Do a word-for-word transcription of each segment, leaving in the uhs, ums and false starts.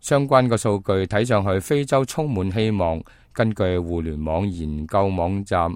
相關嘅數據睇上去非洲充滿希望。根據互聯網研究網站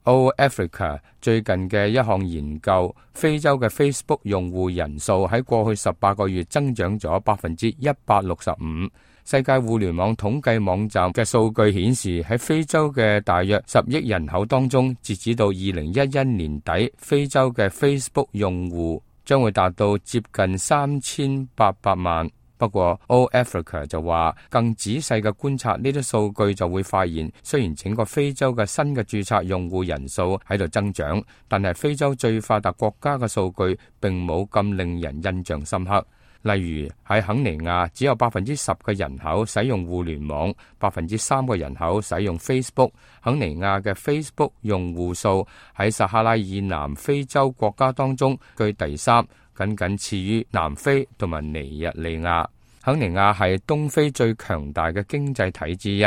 All Africa 最近嘅一項研究，非洲嘅 Facebook 用戶人數喺過去十八個月增長咗百分之一百六十五。世界互聯網統計網站嘅數據顯示，喺非洲嘅大約十億人口當中，截止到二零一一年底，非洲嘅 Facebook 用戶將會達到接近三千八百萬。不過 All Africa 就話，更仔細嘅觀察呢啲數據就會發現，雖然整個非洲嘅新嘅註冊用戶人數喺度增長，但係非洲最發達國家嘅數據並冇咁令人印象深刻。例如喺肯尼亞，只有百分之十嘅人口使用互聯網，百分之三嘅人口使用 Facebook。肯尼亞嘅 Facebook 用戶數喺撒哈拉以南非洲國家當中居第三，僅僅次於南非同埋尼日利亞。肯尼亞係東非最強大嘅經濟體之一，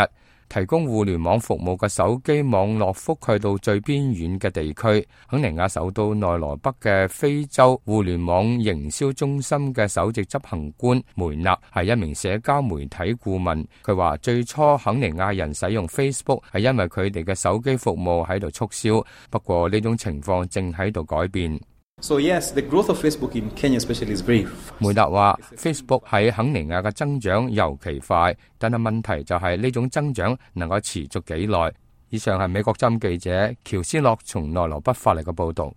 提供互聯網服務嘅手機網絡覆蓋到最邊遠嘅地區。肯尼亞首都內羅畢嘅非洲互聯網營銷中心嘅首席執行官梅納係一名社交媒體顧問，佢話最初肯尼亞人使用 Facebook 係因為佢哋嘅手機服務喺度促銷，不過呢種情況正喺度改變。So yes, the growth of Facebook in Kenya especially is very fast. 梅達話 Facebook 喺肯尼亞嘅增長尤其快，但係問題就係呢種增長能夠持續幾耐。以上係美國之音記者喬斯洛從內羅畢發嚟嘅報導。